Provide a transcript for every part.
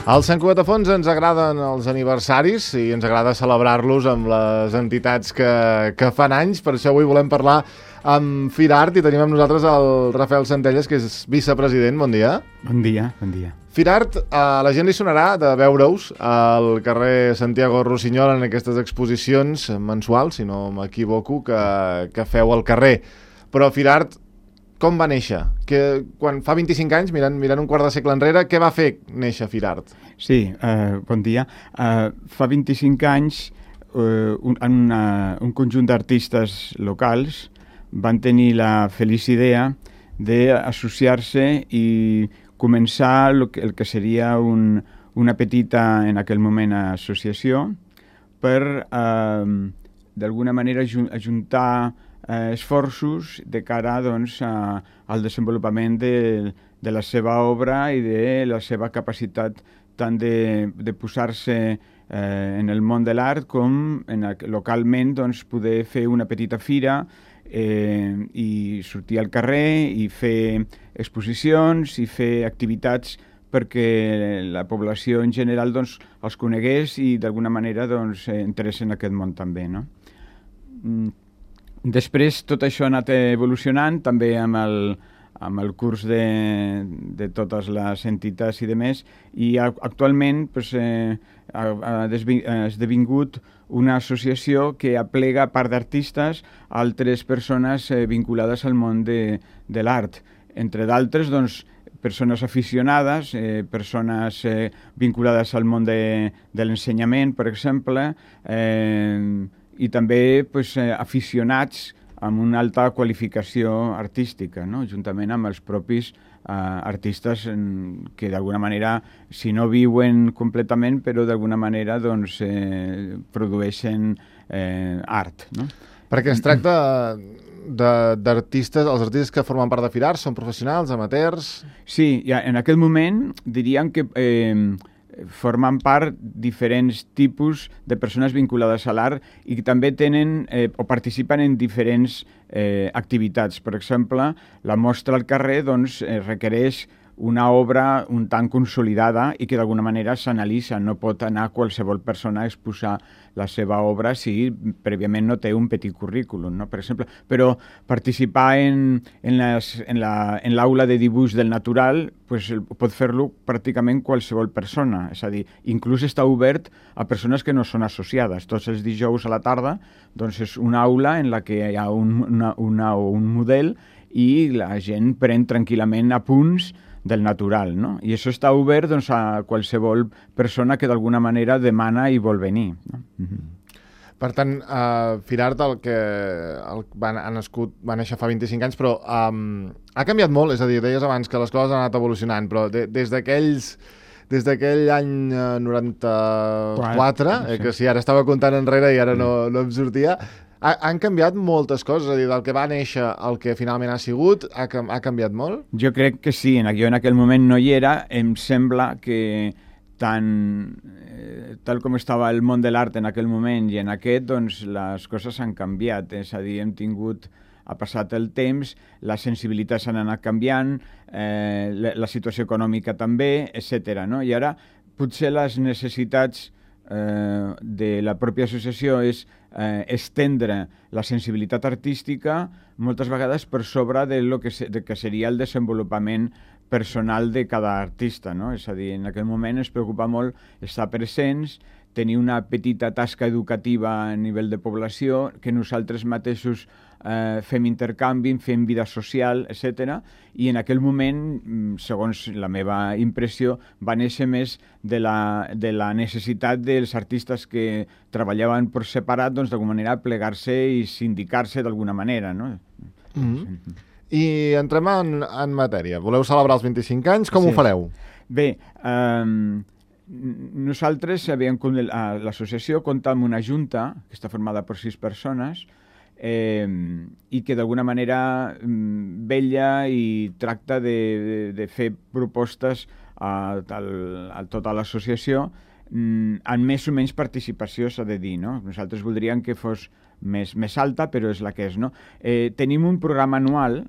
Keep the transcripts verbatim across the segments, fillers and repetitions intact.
Als Sant Cugat de Fons ens agraden els aniversaris i ens agrada celebrar-los amb les entitats que, que fan anys. Per això avui volem parlar amb Firart i tenim amb nosaltres el Rafael Centelles, que és vicepresident. Bon dia. Bon dia, bon dia. Firart, a la gent li sonarà de veure-us al carrer Santiago Rossinyol en aquestes exposicions mensuals, si no m'equivoco, que, que feu al carrer. Però Firart, com va néixer? Que, quan fa vint-i-cinc anys, mirant, mirant un quart de segle enrere, què va fer néixer Firart? Sí, uh, bon dia. Uh, fa vint-i-cinc anys, uh, un, una, un conjunt d'artistes locals van tenir la feliç idea d'associar-se i començar el que, el que seria un, una petita, en aquell moment, associació per, uh, d'alguna manera, ajuntar Eh, esforços de cara doncs, a, al desenvolupament de, de la seva obra i de la seva capacitat tant de, de posar-se eh, en el món de l'art com en, localment doncs, poder fer una petita fira eh, i sortir al carrer i fer exposicions i fer activitats perquè la població en general doncs, els conegués i d'alguna manera doncs, entrés en aquest món també, no? Mm. Després tot això ha anat evolucionant també amb el, amb el curs de, de totes les entitats i demés, i actualment pues, eh, ha, ha esdevingut una associació que aplega part d'artistes, altres persones eh, vinculades al món de, de l'art. Entre d'altres, doncs, persones aficionades, eh, persones eh, vinculades al món de, de l'ensenyament, per exemple, eh, i també pues, eh, aficionats amb una alta qualificació artística, no? Juntament amb els propis eh, artistes en, que d'alguna manera, si no viuen completament, però d'alguna manera doncs, eh, produeixen eh, art. No? Perquè es tracta d'artistes, els artistes que formen part de Firart són professionals, amateurs... Sí, ja, en aquest moment diríem que... Eh, formen part diferents tipus de persones vinculades a l'art i que també tenen eh, o participen en diferents eh, activitats. Per exemple, la mostra al carrer doncs, eh, requereix una obra un tant consolidada i que d'alguna manera s'analitza. No pot anar qualsevol persona a exposar la seva obra si prèviament no té un petit currículum, no? Per exemple. Però participar en, en, les, en, la, en l'aula de dibuix del natural pues, pot fer-lo pràcticament qualsevol persona. És a dir, inclús està obert a persones que no són associades. Tots els dijous a la tarda doncs és una aula en la que hi ha un, una, una, un model i la gent pren tranquil·lament apunts del natural, no? I això està obert doncs, a qualsevol persona que d'alguna manera demana i vol venir, no? Mm-hmm. Per tant, uh, Firart el que el, va, ha nascut, va néixer fa vint-i-cinc anys, però um, ha canviat molt, és a dir, deies abans que les coses han anat evolucionant, però de, des d'aquells des d'aquell any uh, noranta-quatre, eh, que si ara estava comptant enrere i ara no, no em sortia, ha, han canviat moltes coses, és a dir, del que va néixer al que finalment ha sigut, ha, ha canviat molt? Jo crec que sí, jo en aquell moment no hi era, em sembla que tant, eh, tal com estava el món de l'art en aquell moment i en aquest, doncs les coses han canviat, és a dir, hem tingut, ha passat el temps, les sensibilitats han anat canviant, eh, la, la situació econòmica també, etcètera, no? I ara potser les necessitats eh, de la pròpia associació és eh, estendre la sensibilitat artística moltes vegades per sobre de lo que, se, de que seria el desenvolupament personal de cada artista, no? És a dir, en aquell moment es preocupa molt estar presents, tenir una petita tasca educativa a nivell de població, que nosaltres mateixos eh, fem intercanvi, fem vida social, etcètera. I en aquell moment, segons la meva impressió, va néixer més de la, de la necessitat dels artistes que treballaven per separat, doncs d'alguna manera plegar-se i sindicar-se d'alguna manera, no? Mm-hmm. I entrem en, en matèria. Voleu celebrar els vint-i-cinc anys? Com sí. ho fareu? Bé, eh, nosaltres, l'associació compta amb una junta que està formada per sis persones eh, i que d'alguna manera vetlla i tracta de, de, de fer propostes a, a, a tota l'associació amb més o menys participació, s'ha de dir, no? Nosaltres voldríem que fos més, més alta, però és la que és, no? Eh, tenim un programa anual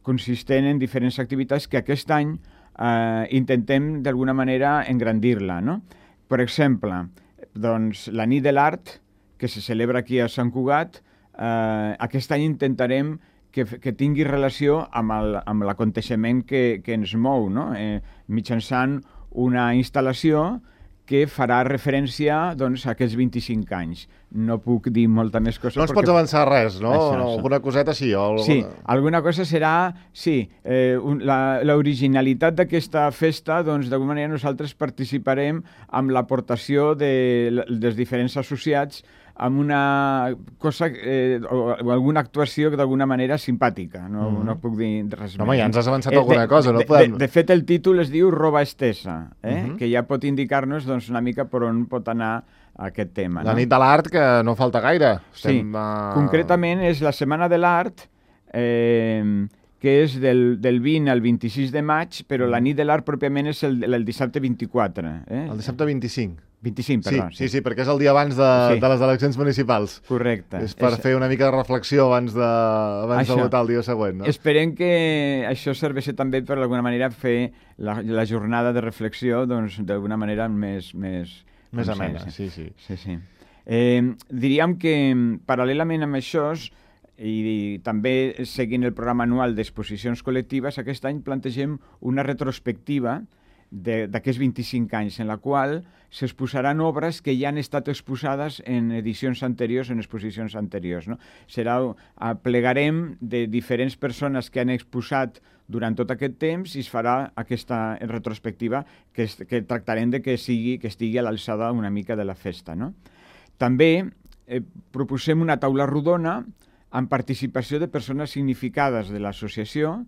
consistent en diferents activitats que aquest any eh, intentem d'alguna manera engrandir-la, no? Per exemple, doncs, la nit de l'art, que se celebra aquí a Sant Cugat, eh, aquest any intentarem que, que tingui relació amb el, amb l'aconteixement que, que ens mou, no? Eh, mitjançant una instal·lació que farà referència doncs, a aquests vint-i-cinc anys. No puc dir molta més cosa. No ens perquè... pots avançar res, no? Això, no això. alguna coseta sí. O alguna... Sí, alguna cosa serà... Sí, eh, un, la, l'originalitat d'aquesta festa, doncs, d'alguna manera nosaltres participarem amb l'aportació de, dels diferents associats amb una cosa eh, o, o alguna actuació d'alguna manera simpàtica. No, mm. no puc dir res no, més. Home, ja ens has avançat eh, alguna de, cosa. No de, podem... de, de fet, el títol es diu Roba Estesa, eh? Mm -hmm. que ja pot indicar-nos doncs, una mica per on pot anar aquest tema. La no? nit de l'art, que no falta gaire. Sí, Estem, uh... concretament és la Setmana de l'Art, eh, que és del, del vint al vint-i-sis de maig, però la nit de l'art pròpiament és el, el dissabte vint-i-quatre. Eh? El dissabte vint-i-cinc. vint-i-cinc, perdó. Sí, sí, sí, perquè és el dia abans de, sí. de les eleccions municipals. Correcte. És per és... fer una mica de reflexió abans de, abans de votar el dia següent, no? Esperem que això serveixi també per d'alguna manera fer la, la jornada de reflexió doncs, d'alguna manera més... Més, més amena, sí, sí. sí, sí. Eh, diríem que paral·lelament amb això i, i també seguint el programa anual d'exposicions col·lectives, aquest any plantegem una retrospectiva d'aquests vint-i-cinc anys, en la qual s'exposaran obres que ja han estat exposades en edicions anteriors, en exposicions anteriors. No? Serà, plegarem de diferents persones que han exposat durant tot aquest temps i es farà aquesta retrospectiva que, es, que tractarem de que, sigui, que estigui a l'alçada una mica de la festa. No? També eh, proposem una taula rodona amb participació de persones significades de l'associació,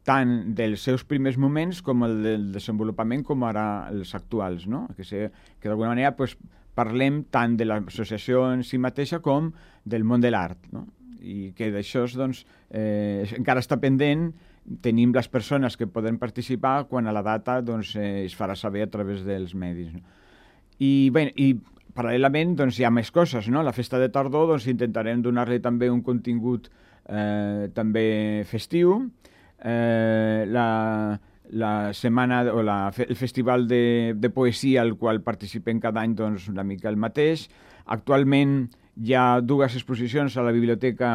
tant dels seus primers moments com el del desenvolupament com ara els actuals, no? Que, sé, que d'alguna manera pues, parlem tant de l'associació en si mateixa com del món de l'art, no? I que d'això doncs, eh, encara està pendent, tenim les persones que poden participar quan a la data doncs, eh, es farà saber a través dels medis. No? I, bé, i paral·lelament doncs, hi ha més coses, no? La festa de tardor doncs, intentarem donar-li també un contingut eh, també festiu. Eh, la, la setmana o la, el festival de, de poesia al qual participem cada any doncs, una mica el mateix. Actualment hi ha dues exposicions a la biblioteca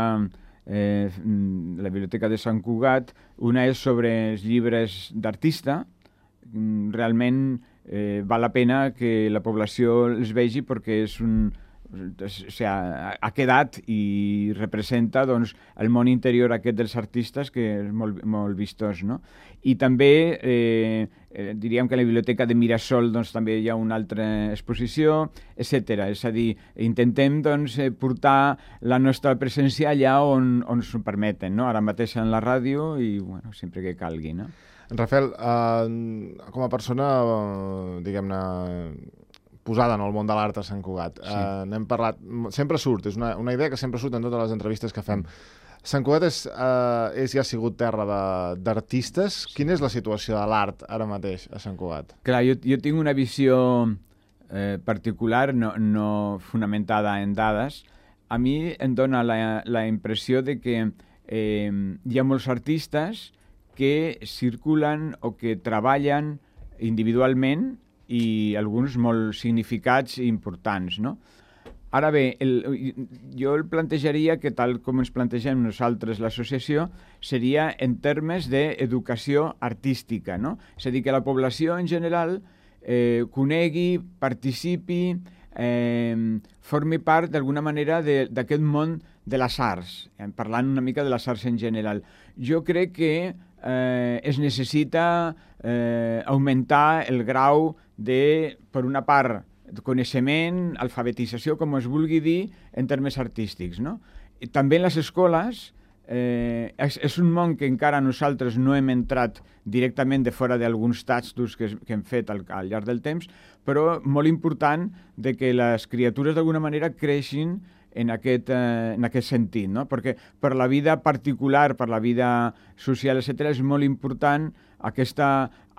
eh, la biblioteca de Sant Cugat. Una és sobre els llibres d'artista. Realment eh, val la pena que la població els vegi perquè és un o sigui, ha quedat i representa doncs, el món interior aquest dels artistes, que és molt, molt vistós, no? I també eh, eh, diríem que a la biblioteca de Mirasol doncs, també hi ha una altra exposició, etcètera. És a dir, intentem doncs, portar la nostra presència allà on, on s'ho permeten, no? Ara mateix en la ràdio i bueno, sempre que calgui, no? Rafael, eh, com a persona, eh, diguem-ne, posada en el món de l'art a Sant Cugat. Sí. Uh, n'hem parlat, sempre surt, és una, una idea que sempre surt en totes les entrevistes que fem. Sant Cugat és, uh, és ja ha sigut terra d'artistes. Sí. Quina és la situació de l'art ara mateix a Sant Cugat? Clar, jo, jo tinc una visió eh, particular, no, no fonamentada en dades. A mi em dona la, la impressió de que eh, hi ha molts artistes que circulen o que treballen individualment i alguns molt significats i importants, no? Ara bé, el, jo el plantejaria que tal com ens plantegem nosaltres l'associació seria en termes d'educació artística, no? És a dir, que la població en general eh, conegui, participi, eh, formi part d'alguna manera d'aquest món de les arts, eh, parlant una mica de les arts en general. Jo crec que eh, es necessita eh, augmentar el grau de, per una part, coneixement, alfabetització, com es vulgui dir, en termes artístics, no? I també en les escoles eh, és, és un món que encara nosaltres no hem entrat directament de fora d'alguns tastos que, que hem fet al, al llarg del temps, però molt important de que les criatures d'alguna manera creixin en aquest, eh, en aquest sentit, no? Perquè per la vida particular, per la vida social, etcètera, és molt important aquesta,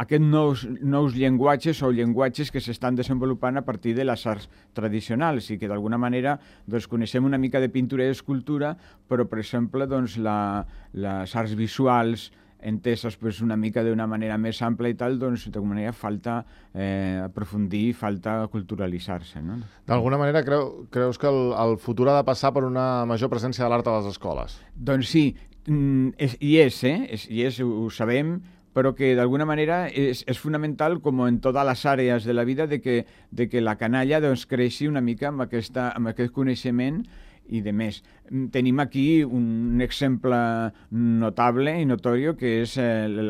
aquests nous, nous llenguatges o llenguatges que s'estan desenvolupant a partir de les arts tradicionals i que d'alguna manera doncs, coneixem una mica de pintura i escultura, però per exemple doncs, la, les arts visuals enteses pues, una mica d'una manera més ampla i tal, doncs d'alguna manera falta eh, aprofundir, falta culturalitzar-se. No? D'alguna manera creu, creus que el, el futur ha de passar per una major presència de l'art a les escoles? Doncs sí, és, hi és, eh? És, hi és, ho, ho sabem, però que d'alguna manera és, és fonamental, com en totes les àrees de la vida, de que, de que la canalla doncs, creixi una mica amb, aquesta, amb aquest coneixement i de més. Tenim aquí un exemple notable i notori que és el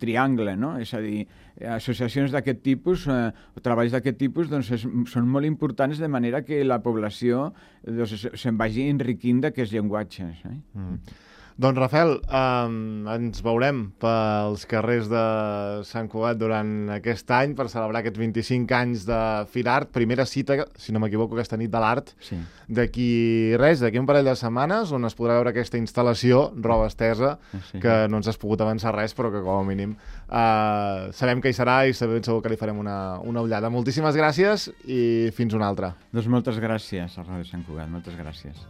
triangle, no? És a dir, associacions d'aquest tipus, eh, treballs d'aquest tipus, doncs és, són molt importants de manera que la població doncs, se'n vagi enriquint d'aquests llenguatges. Eh? Mm. Doncs, Rafael, eh, ens veurem pels carrers de Sant Cugat durant aquest any per celebrar aquests vint-i-cinc anys de Firart. Primera cita, si no m'equivoco, aquesta nit de l'art. Sí. D'aquí res, d'aquí un parell de setmanes, on es podrà veure aquesta instal·lació, roba estesa, sí. que no ens has pogut avançar res, però que com a mínim eh, sabem que hi serà i sabem segur que li farem una, una ullada. Moltíssimes gràcies i fins una altra. Doncs moltes gràcies a Ràdio Sant Cugat, moltes gràcies.